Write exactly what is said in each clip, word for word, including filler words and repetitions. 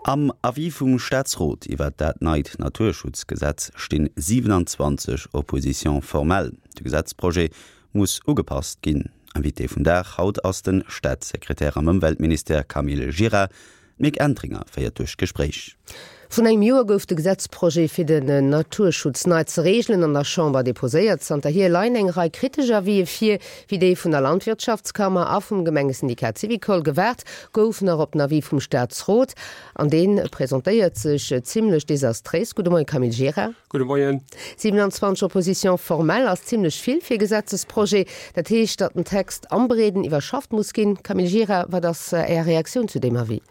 Am Avis vum Staatsrot iwwer dat neit Naturschutzgesetz stinn siewenanzwanzeg Oppositions formelles. De Gesetzprojet muss ugepasst ginn. Invité vum Dag haut ass de Staatssekretär am Ëmweltministère Camille Gira. D'Mick Entringer féiert duerch d'Gespréich. Vrun engem Joer gouf de Gesetzprojet fir den Naturschutz nei ze reegelen an der Chamber deposéiert. Zanterhier leien eng Rei kritesch Avisë vir, wéi déi vun der Landwirtschaftskammer a vum Gemengesyndikat Syvicol. Gewaart gouf nach op den Avis vum Staatsrot an dee presentéiert sech zimmlech desastréis. Gudde Moien Camille Gira. Gudde Moien. siewenanzwanzeg Oppositions formelles ass zimmlech vill fir e Gesetzesprojet. Dat heescht, datt den Text am Breeden iwwerschafft muss ginn. Camille Gira, wat ass Är Reaktioun zu deem Avis?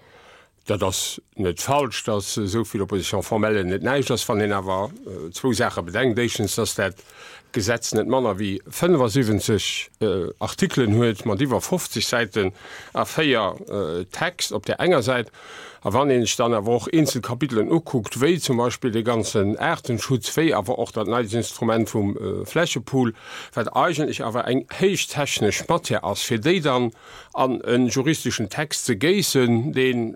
Dat ass net falsch, datt esou vill Opposition-formellen net näischt ass, wann een awer zwou Saache bedenkt. Éischtens, datt dat Gesetz net manner wéi fënnefasiwwenzeg Artikelen huet mat iwwer fofzeg Säiten A véier Text op där enger Säit. A wann een sech dann awer och eenzel Kapitelen ukuckt, wéi zum Beispill dee ganzen Aartenschutz, wéi awer och dat neit Instrument vum Flächepool, wat eigentlech awer eng héich technesch Matière ass, fir déi dann an e juristeschen Text ze géissen, dee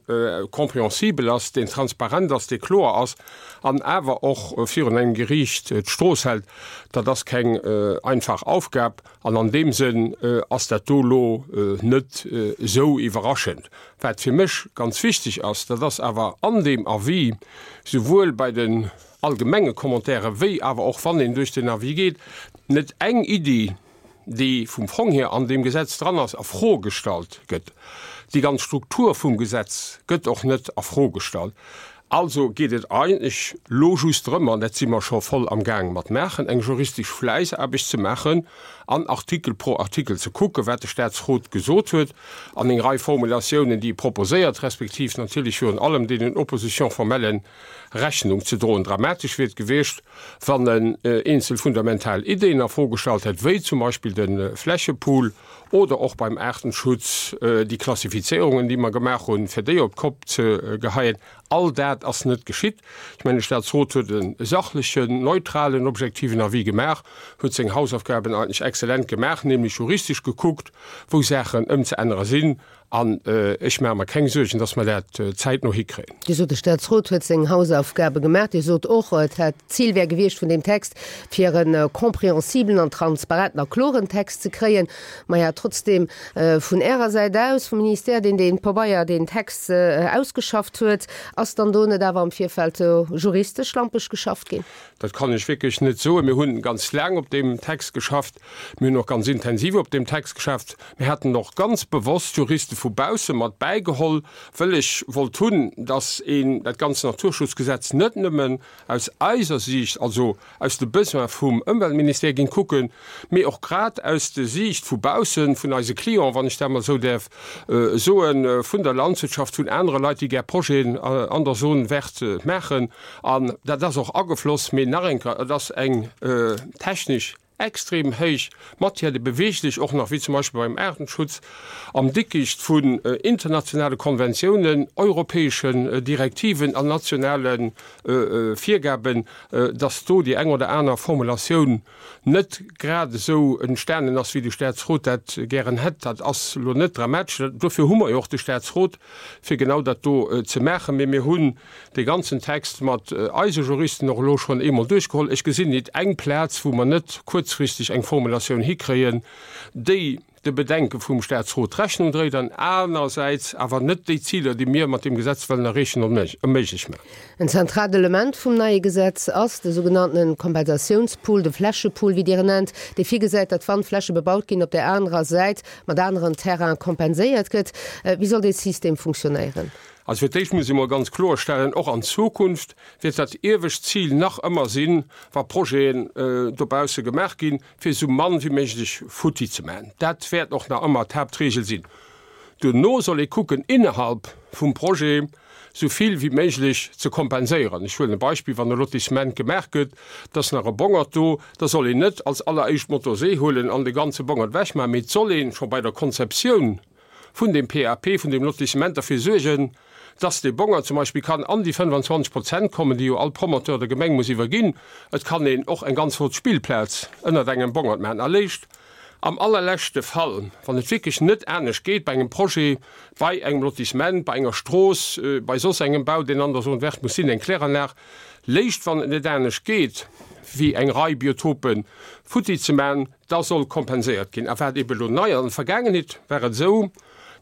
compréhensibel ass, deen transparent ass, dee kloer ass an awer och virun engem Geriicht d'Strooss hält, dat ass keng einfach Aufgab. An an deem Sënn ass dat do elo net esou iwwerraschend. Wat fir mech ganz wichteg ass, dat ass awer an deem Avis, souwuel bei den allgemenge Commentaire wéi awer och wann een duerch den Avis geet, net eng Iddi, déi vum Fong hier an deem Gesetz dran ass, a Fro gestallt gëtt. Déi ganz Struktur vum Gesetz gëtt och net a Fro gestallt. Also geet et eigentlech lo just drëm, an dat si mer scho voll am Gaang mat maachen, eng juristesch Fläissaarbecht ze maachen an Artikel pro Artikel ze kucken, wat de Statsrot gesot huet an eng Rei Formulatiounen, déi e proposéiert, respektiv natierlech virun allem deenen Opposition-formellen Rechnung ze droen. Dramatesch wier et gewiescht, wann en eenzel fundamental Ideeën a Fro gestallt hätt, wéi zum Beispill de Flächepool oder och beim Aartenschutz déi Klassifizierungen, déi mer gemaach hunn, fir déi op d'Kopp ze geheien. All dat ass net geschitt. Ech mengen, de Statsrot huet e sachlechen, neutralen, objektiven Avis gemaach, huet seng Hausaufgaben eigentlech exzellent gemaach, nämlech juristesch gekuckt, wou Saachen ëmzeännere sinn. An ech maache mer keng Suergen, dass mer dat zäitno hikréien. Dir sot, de Statsrot huet seng Hausaufgabe gemaach. Dir sot och, et hätt, d'Zil wär gewiescht vun deem Text, fir e compréhensiblen an transparenten a kloren Text ze kréien. Maja, trotzdem, vun Ärer Säit aus, vum Ministère, deen dee Pabeier, deen Text ausgeschafft huet, ass dann do net awer am Virfeld juristesch schlampeg geschafft ginn? Dat kann ech wierklech net soen. Mir hunn ganz laang op deem Text geschafft. Mir hunn och ganz intensiv op deem Text geschafft. Mir haten och ganz bewosst Juriste vu bausse mat bäigeholl, wëll ech wollt hunn, dass een dat ganzt Naturschutzgesetz net nëmmen aus eiser Siicht, also aus de Besoin vum Ëmweltministère géing kucken, mee och grad aus de Siicht vu baussen, vun eise Clienten, wann ech dat emol esou däerf soen, vun der Landwirtschaft, vun anere Leit, déi gär Projeten an der Zone verte maachen. An dat ass och agefloss. Mee nach eng Kéier, et ass eng technesch extrem héich Matière, déi beweegt sech och nach, wéi zum Beispill beim Aartenschutz, am Dickicht vun internationale Konventiounen, europäeschen Direktiven an nationale Virgaben, dass do déi eng oder aner Formulatioun net grad esou entstanen ass, wéi de Statsrot dat gären hätt. Dat ass elo net dramatesch. Dofir hu mer jo och de Statsrot, fir genau dat do ze maachen. Mee mir hunn dee ganzen Text mat eise Juristen och elo schonn eemol duerchgeholl. Ech gesinn nit eng Plaz, wou mer net kuerzfristeg eng Formulatioun hikréien, déi de Bedenke vum Statsrot Rechnung dréit an anersäits awer net déi Ziler, déi mir mat deem Gesetz wëllen erreechen, onméiglech mécht. En zentraalt Element vum neie Gesetz ass de sougenannte Kompensatiounspool, de Flächepool, wéi Dir en nennt, dee virgesäit, datt wann Fläche bebaut ginn, op där anerer Säit mat aneren Terraine kompenséiert gëtt. Wéi soll dee System funktionéieren? Also fir d'éischt muss ee mol ganz kloerstellen, och an Zukunft wäert dat iewescht Zil nach ëmmer sinn, wa Projeten dobausse gemaach ginn, fir esou mann wéi méiglech futti ze maachen. Dat wäert och nach ëmmer d'Haaptregel sinn. Duerno soll ee kucken, innerhalb vum Projet esou vill wéi méiglech ze kompenséieren. Ech huelen e Beispill, Wann e Lotissement gemaach gëtt, et ass nach e Bongert do, da soll een net als alleréischt d'Motorsee huelen an de ganze Bongert ewechmaachen, mee et soll ee scho bei der Konzeptioun vun deem P A P, vun deem Lotissement derfir suergen, dass dee Bongert zum Beispill kann an déi fënnfanzwanzeg Prozent kommen, déi jo all Promoteur der Gemeng muss iwwerginn. Et kann een och eng ganz flott Spillplaz ënnert engem Bongert maachen. Erléischt Am allerleschte Fall, wann et wierklech net anescht geet, bei engem Projet, bei engem Lotissement, bei enger Strooss, bei soss engem Bau, deen an der Zone verte muss sinn, eng Kläranlag léischt, wann et net anescht geet, wéi eng Rei Biotope futti ze man, da soll kompenséiert ginn. A wat eeben elo nei ass, an der Vergaangenheet war et esou,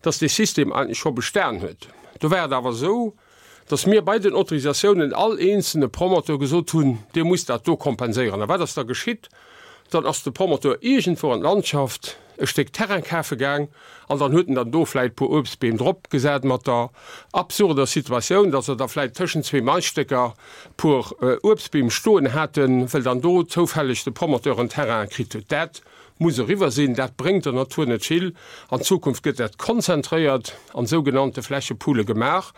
dass dee System eigentlech scho bestan huet. Do war et awer esou, dass mir bei den Autorisatiounen all eenzelne Promoteur gesot hunn, Dir musst dat do kompenséieren. A wat ass da geschitt? Dann ass de Promoteur iergendwou an d'Landschaft e Stéck Terrain kafe gaang an dann huet en dann do vläicht e puer Uebstbeem drop gesat, mat der absurder Situatioun, dass se da vläicht tëschent zwee Maisstécker e puer Uebstbeem stoen haten, well dann do zoufälleg de Promoteur en Terrain kritt huet. Dat muss eriwwer sinn, dat bréngt der Natur net vill. An Zukunft gëtt dat konzentréiert an sougenannte Flächepoole gemaach,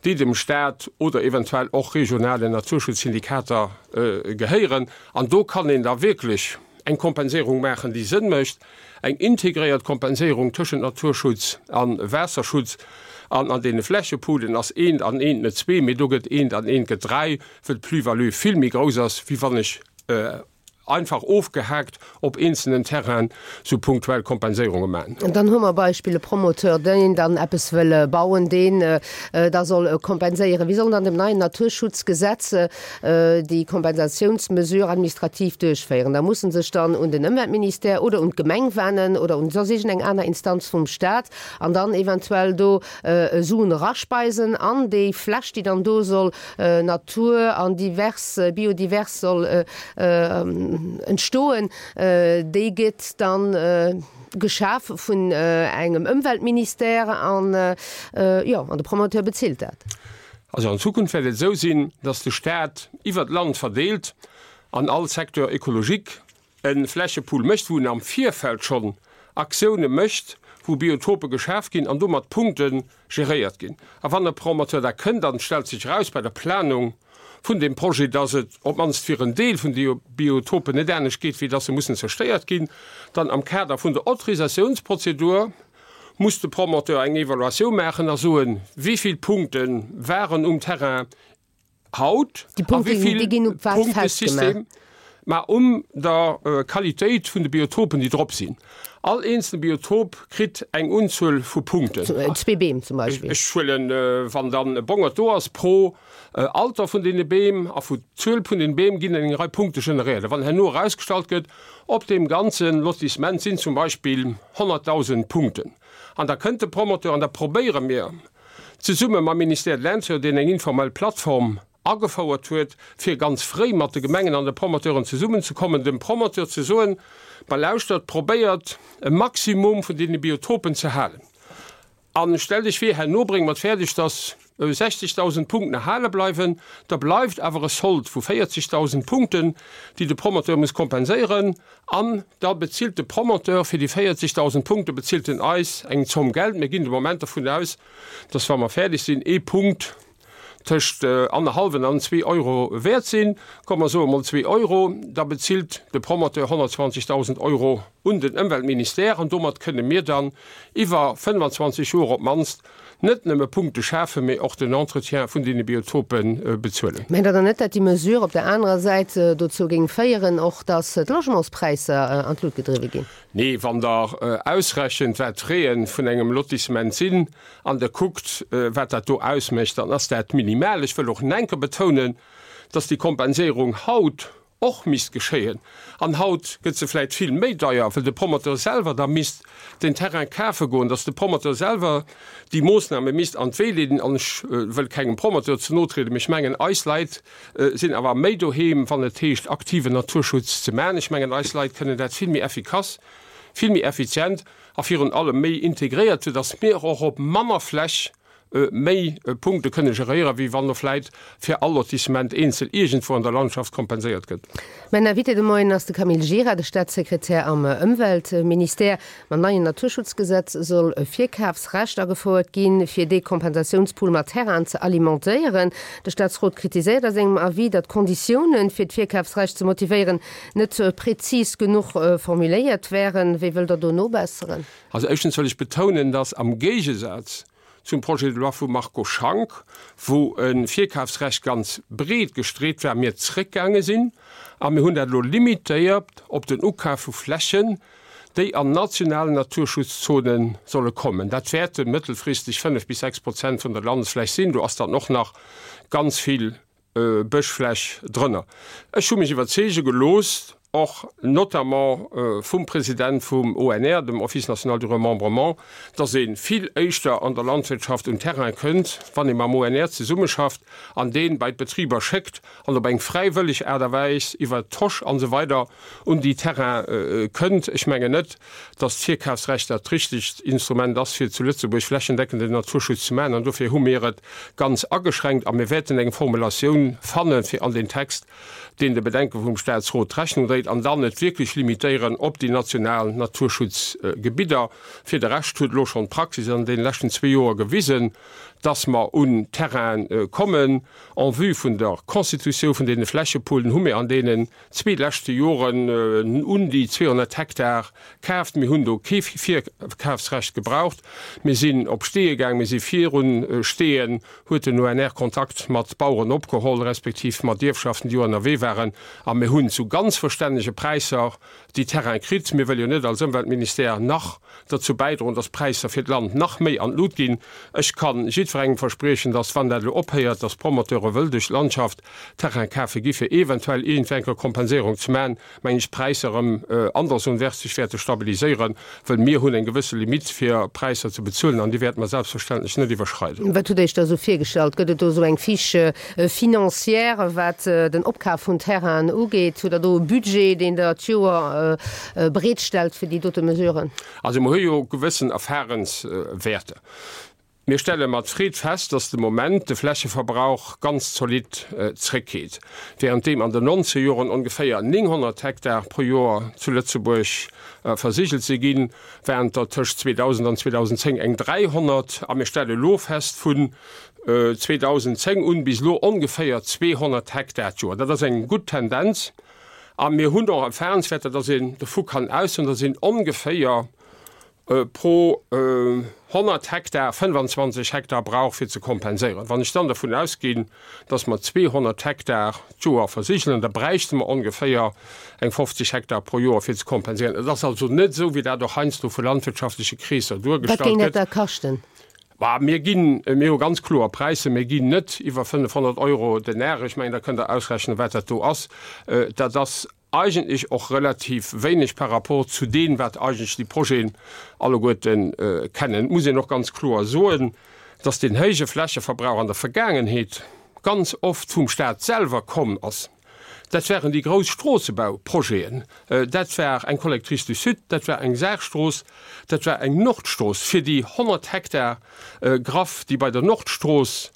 déi dem Staat oder eventuell och regionalen Naturschutzsyndikater gehéieren. An do kann een da wierklech eng Kompenséierung maachen, déi Sënn mécht, eng integréiert Kompenséierung tëschent Naturschutz a Waasserschutz. An an deene Flächepoolen ass eent an eent net zwee, mee do gëtt eent an eent gëtt dräi, well d'Plus-value vill méi grouss ass, wéi wann ech einfach ofgehaakt op eenzelnen Terrainen sou punktuell Kompenséierunge maachen. Dann hu mer Beispill e Promoteur, deen dann eppes wëll bauen, deen da soll kompenséieren. Wéi soll dann dem neien Naturschutzgesetz déi Kompensatiounsmesure administrativ duerchféieren? Da muss en sech dann un den Ëmweltministère oder un d'Gemeng wennen oder un soss iergendeng aner Instanz vum Stat an dann eventuell do Suen eraspeisen an déi Fläch, déi dann do soll Natur an divers, biodivers soll entstoen, déi gëtt dann geschaf vun engem Ëmweltministère an, jo, an de Promoteur bezilt dat. Also an Zukunft wäert et esou sinn, dass de Staat iwwert d'Land verdeelt an all Secteur écologique e Flächepool mécht, wou en am Virfeld schonn Aktioune mécht, wou Biotope geschaf ginn an domat Punkte geréiert ginn. A wann e Promoteur da kënnt an et stellt sech eraus bei der Planung vun deem Projet, dass et op d'mannst fir en Deel vun de Biotopen net anescht geet, wéi dass se mussen zerstéiert ginn, dann am Kader vun der Autorisatiounsprozedur muss de Promoteur eng Evaluatioun maachen a soen, wéi vill Punkte waren um Terrain haut a wéi vill Punktesystem, mä um der Qualitéit vun de Biotopen, déi drop sinn. All eenzelne Biotop kritt eng Unzuel vu Punkten. Zwee Beem zum Beispill. Ech huelen, wann dann e Bongert do ass, pro Alter vun deene Beem a vu Zuel vun den Beem ginn eng Rei Punkte generéiert. A wann herno erausgestallt gëtt, op deem ganze Lotissement sinn zum Beispill honnertdausend Punkten, an da kënnt de Promoteur an da probéiere mir zesumme mam Ministère de l'Intérieur, deen eng informell Plattform agefouert huet, fir ganz fréi mat de Gemengen an de Promoteuren zesummenzekommen, dem Promoteur ze soen, Ma lauschtert, probéiert e Maximum vun deene Biotopen ze halen a stellt Iech vir, herno brénge mer et fäerdeg, dass sechzegdausend Punkten erhale bleiwen, da bleift awer e Sold vu véierzegdausend Punkten, déi de Promoteur muss kompenséieren an da bezilt de Promoteur fir déi véierzegdausend Punkte bezilt en eis eng Zomm Geld. Mir ginn de Moment dervun aus, dass, wa mer fäerdeg sinn, ee Punkt tëscht annerhallwen an zwee Euro wäert sinn, komm mer soe mol zwee Euro, da bezilt de Promoteur honnertzwanzegdausend Euro un den Ëmweltministère an domat kënne mir dann iwwer fënnfanzwanzeg Joer op d'mannst net nëmme Punkte schafen, mee och den Entretien vun deene Biotope bezuelen. Mengt Der dann net, datt déi Mesure op der anerer Säit dozou géing féieren och, datt d'Logementspräisser an d'Lut gedriwwe ginn? Nee, wann Der ausrechent, wat d'Fraie vun engem Lotissement sinn, an Der kuckt, wat dat do ausmécht, dann ass dat minimal. Ech wëll och nach eng Kéier betounen, dass déi Kompenséierung haut och misst geschéien. An haut gëtt se vläicht vill méi deier, well de Promoteur selwer da misst den Terrain kafe goen, dass de Promoteur selwer déi Moosname misst an d'Wee leeden. An ech wëll kengem Promoteur ze no trieden, mee ech mengen, eis Leit sinn awer méi doheem, wann et heescht, aktiven Naturschutz ze maachen. Ech mengen, eis Leit kënnen dat vill méi effikass, vill méi effizient a virun allem méi integréiert, soudass mir och op manner Fläch méi Punkte kënne geréieren, wéi wann do vläit fir all Lotissement eenzel iergendwou an der Landschaft kompenséiert gëtt. Mäin Invité de Moien ass de Camille Gira, de Staatssekretär am Ëmweltministère. Mam neien Naturschutzgesetz soll e Virkafsrecht agefouert ginn, fir dee Kompensatiounspool mat Terrainen ze alimentéieren. De Staatsrot kritiséiert a sengem Avis, datt d'Konditiounen, fir d'Virkafsrecht ze motivéieren, net prezis genuch formuléiert wären. Wéi wëllt Der do nobesseren? Also éischtens wëll ech betounen, datt am Géigesaz zum Projet de loi vum Marco Schank, wou e Virkafsrecht ganz breet gestreet war, mir zréckgaange sinn a mir hunn dat elo limitéiert op den Ukaf vu Flächen, déi an nationalen Naturschutzzonen solle kommen. Dat wäerte mëttelfristeg fënnef bis sechs Prozent vun der Landesfläch sinn. Do ass dann och nach ganz vill Bëschfläch drënner. Ech hu mech iwwerzeege gelooss, och notamment vum President vum O N R, dem Office national du remembrement, dass ee vill éischter an der Landwirtschaft un Terrain kënnt, wann ee mam O N R zesummeschafft an dee bei d'Betriber schéckt an op eng fräiwëlleg Aart a Weis iwwert d'Tosch an esou weider un déi Terraine kënnt. Ech mengen net, dass d'Virkafsrecht dat richtegt Instrument ass, fir zu Lëtzebuerg flächendeckenden Naturschutz ze maachen, an dofir hu mir et ganz ageschränkt a mir wäerten eng Formulatioun fanne fir an den Text, deen de Bedenke vum Staatsrot Rechnung dréit, an dann et wierklech limitéieren op déi national Naturschutzgebidder. Fir de Rescht huet elo schonn d'Praxis an deene leschten zwee Joer gewisen, dass mer un Terraine kommen. En vue vun der Constitutioun vun deene Flächepoolen hu mir an deenen zwee leschte Joren un déi zweehonnert Hektar kaaft. Mir hunn do kee Virkafsrecht gebraucht. Mir sinn op Steeë gaang, mir si virun Steeën, huet den O N R Kontakt mat Baueren opgeholl, respektiv mat Ierfschaften, déi ënnerwee waren, a mir hunn zu ganz verstännege Präisser déi Terraine kritt. Mir wëlle jo net als Ëmweltministère nach derzou bäidroen, dass d'Präisser fir d'Land nach méi an d'Lut ginn. Ech ka jiddwerengem verspriechen, dass, wann dat elo ophéiert, dass d'Promoteure wëll duerch d'Landschaft Terrain kafe gi fir eventuell iergendwéi eng Kompenséierung ze maachen, mengen ech, d'Präisser erëm andersonwäerts sech wäerte stabiliséieren, wëll mir hunn eng gewësse Limitt fir Präisser ze bezuelen an déi wäerte mer selbstverständlech net iwwerschreiden. Wat hutt Der Iech da esou virgestallt? Gëtt et do esou eng Fiche financière, wat den Opkaf vun Terrainen ugeet? Hutt Der do e Budget, deen Der d'Joer bereetstellt fir déi dote Mesuren? Also mer hu jo gewëssen Erfahrenswäerter. Mir stelle mat Freed fest, dass de Moment de Flächeverbrauch ganz zolidd zréckgeet. Währenddeem an den Nonzegerjoren ongeféier nénghonnert Hektar pro Joer zu Lëtzebuerg versigelt si ginn, waren et der tëscht zweedausend an zweedausendzéng eng dräihonnert. A mir stelle elo fest, vun zweedausendzéng un bis elo ongeféier zweehonnert Hektar d'Joer. Dat ass eng gutt Tendenz. A mir hunn och Erfahrenswäerter, dass een dovu kann ausgoen, dass een ongeféier pro honnert Hektar fënnefanzwanzeg Hektar brauch fir ze kompenséieren. Wann ech dann dovun ausginn, dass mer zweehonnert Hektar d'Joer versigelen, da bräichte mer ongeféier eng fofzeg Hektar pro Joer fir ze kompenséieren. Et ass also net esou, wéi dat och heiansdo vu landwirtschaftleche Kreesser Wat géing duergestallt dat gëtt. da kaschten? Bah, mir ginn, mir hu ganz kloer Präisser, mir ginn net iwwer fënnefhonnert Euro den Ar. Ech mengen, da kënnt Der ausrechnen, wat dat do ass. Dat ass eigentlech och relativ wéineg par rapport zu deem, wat eigentlech déi Projeten alleguerte kennen. Et muss een och ganz kloer soen, dass deen héije Flächeverbrauch an der Vergaangenheet ganz oft vum Stat selwer komm ass. Dat waren déi grouss Stroossebauprojeten, dat war eng Collectrice du Sud, dat war eng Saarstrooss, dat war eng Nordstrooss. Fir déi honnert Hektar Graff, déi bei der Nordstrooss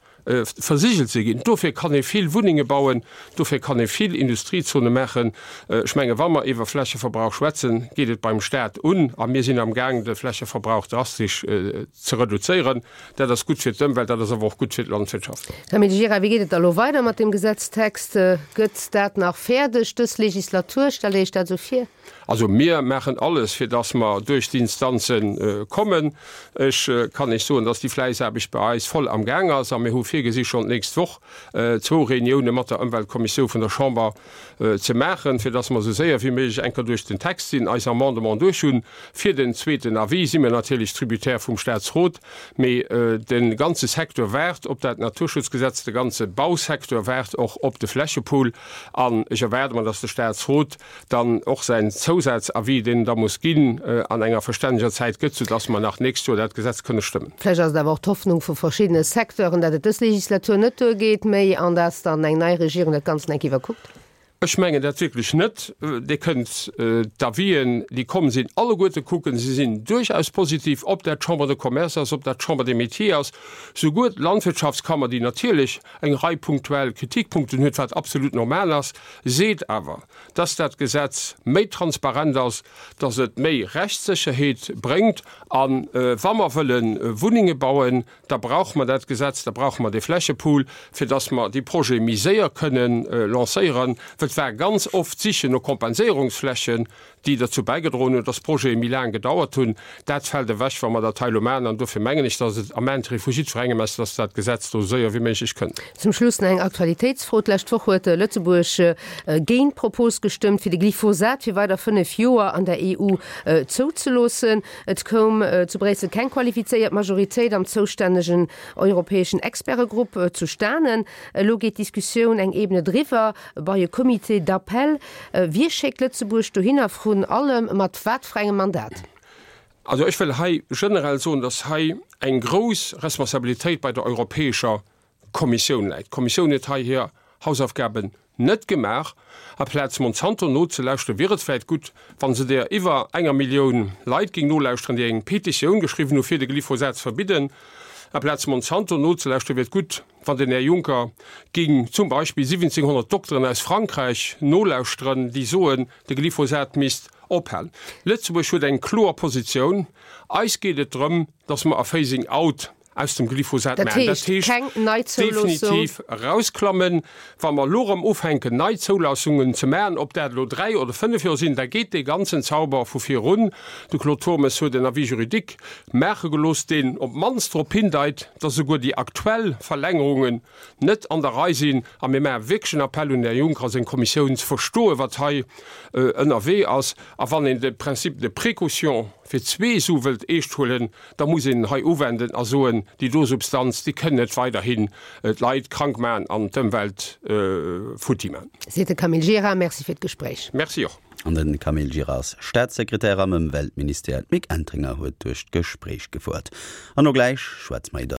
versigelt si ginn, dofir kann ee vill Wunnenge bauen, dofir kann ee vill Industriezone maachen. Ech menge wa mer iwwer Flächeverbrauch schwätzen, geet et beim Stat un a mir sinn am Gaang de Flächeverbrauch drastesch ze reduzéieren. Dat ass gutt fir d'Ëmwelt, dat ass awer och gutt fir d'Landwirtschaft. Här Gira, wéi geet et da lo weider mat deem Gesetztext? Gëtt dat nach fäerdeg dës Legislatur? Stellt Dir Iech dat esou vir? Also mir maachen alles, fir dass mer duerch d'Instanze kommen. Ech kann Iech soen, dass déi Fläissaarbecht bei eis voll am Gaang ass a mir hu virgesi schonn d'nächst Woch zwou Reunioune mat der Ëmweltkommissioun vun der Chamber ze maachen, fir dass mer esou séier wéi méiglech eng Kéier duerch den Text sinn, eis Amendement duerch hunn. Fir den zweeten Avis si mir natierlech tributaire vum Statsrot, mee de ganze Secteur waart op dat Naturschutzgesetz, de ganze Bausecteur waart och op de Flächepool an ech erwaarde mer, dass de Statsrot dann och säin Zousazavis, deen en da muss ginn, an enger verstänneger Zäit gëtt, soudass mer nach d'nächst Joer dat Gesetz kënne stëmmen. Vläicht ass et awer och d'Hoffnung vu verschiddene Secteuren, datt et dës Legislatur net duergeet méi an datt dann eng nei Regierung dat Ganzt eng Kéier iwwerkuckt. Ech mengen dat wierklech net. Dir kënnt d'Avisen, déi komm sinn, alleguerte kucken. Se sinn duerchaus positiv, ob dat d'Chambre de Commerce ass, ob dat d'Chambre des Métiers ass, souguer d'Landwirtschaftskammer, déi natierlech eng Rei punktuell Kritikpunkten huet, wat absolut normal ass, seet awer, dass dat Gesetz méi transparent ass, dass et méi Rechtssécherheet bréngt. A wa mer wëlle Wunnenge bauen, da brauche mer dat Gesetz, da brauche mer dee Flächepool, fir dass mer déi Projete méi séier kënnen lancéieren, well Et war ganz oft d'Sichen no Kompenséierungsflächen, déi derzou bäigedroen hunn, dass d'Projete méi laang gedauert hunn. Dat fält ewech, wa mer dat hei elo maachen. An dofir mengen ech, dass et am Intérêt vu jiddwerengem ass, dass dat Gesetz do esou séier wéi méiglech kënnt. Zum Schluss nach eng Aktualitéitsfro, D'lescht Woch huet Lëtzebuerg géint d'Propos gestëmmt, fir de Glyphosat fir weider fënnef Joer an der E U zouzeloossen. Et koum zu Bréissel keng qualifizéiert Majoritéit am zoustännegen europäeschen Expertegrupp zustanen. Elo geet d'Diskussioun eng Ebene driwwer, bei e Comité d'appel. Wie schéckt Lëtzebuerg dohinner, vrun allem mat wat fir engem Mandat? Also ech wëll hei generell soen, dass hei eng grouss Responsabilitéit bei der Europäescher Kommissioun läit. D'Kommissioun huet hei hir Hausaufgaben net gemaach. Aplaz Monsanto nozelauschteren, wier et vläicht gutt, wa se der iwwer enger Millioun Leit géing nolauschteren, déi eng Petitioun geschriwwen hu fir de Glyphosat ze verbidden. Aplaz Monsanto nozelauschteren, wier et gutt, wann den Här Juncker géing zum Beispill siwwenzenghonnert Dokteren aus Frankräich nolauschteren, déi soen, de Glyphosat misst ophalen. Lëtzebuerg huet eng kloer Positioun. Eis geet et drëm, dass mer e Phasing out aus dem Glyphosat maachen. Dat heescht, keng Neizouloossung. Definitiv erausklammen. Wa mer elo erëm ufänken, nei Zoulaassungen ze maachen, ob dat elo dräi oder fënnef Joer sinn, da geet dee ganzen Zauber vu vir erun. De Claude Turmes huet en Avis juridique maache gelooss, deen op d'mannst drop hindeit, dass esouguer déi aktuell Verlängerungen net an der Rei sinn. A mir maache wierklech en Appell un den Här Juncker a seng Kommissioun, ze verstoen, wat hei ënnerwee ass. A wann een de Principe de précaution fir zwee Su wëllt eescht huelen, da muss een en hei uwenden a soen, déi do Substanz, déi kënn net weiderhin d'Leit krank maachen an d'Ëmwelt futti maachen. Seet de Camille Gira. Merci fir d'Gespréich. Merci och. An de Camille Gira ass Staatssekretär am Ëmweltministère. D'Mick Entringer huet duerch d'Gespréich gefouert. An elo gläich schwätze mer iwwer.